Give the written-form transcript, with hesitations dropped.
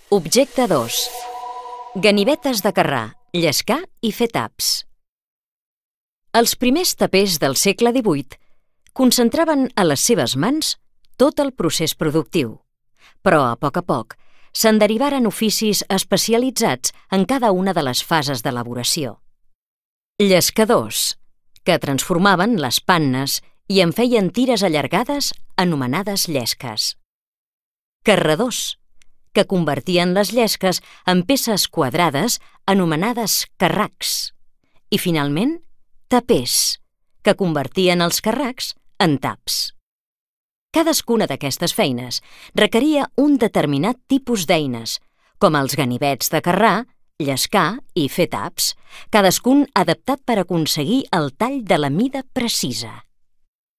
Objecte 2. Ganivetes de carrar, llescar i fer taps. Els primers tapers del segle XVIII concentraven a les seves mans tot el procés productiu, però a poc se'n derivaren oficis especialitzats en cada una de les fases d'elaboració. Llescadors, que transformaven les pannes i en feien tires allargades anomenades llesques. Carradors, que convertien les llesques en peces quadrades anomenades carracs. I finalment, tapers, que convertien els carracs en taps. Cadascuna d'aquestes feines requeria un determinat tipus d'eines, com els ganivets de carrar, llescar i fer taps, cadascun adaptat per aconseguir el tall de la mida precisa.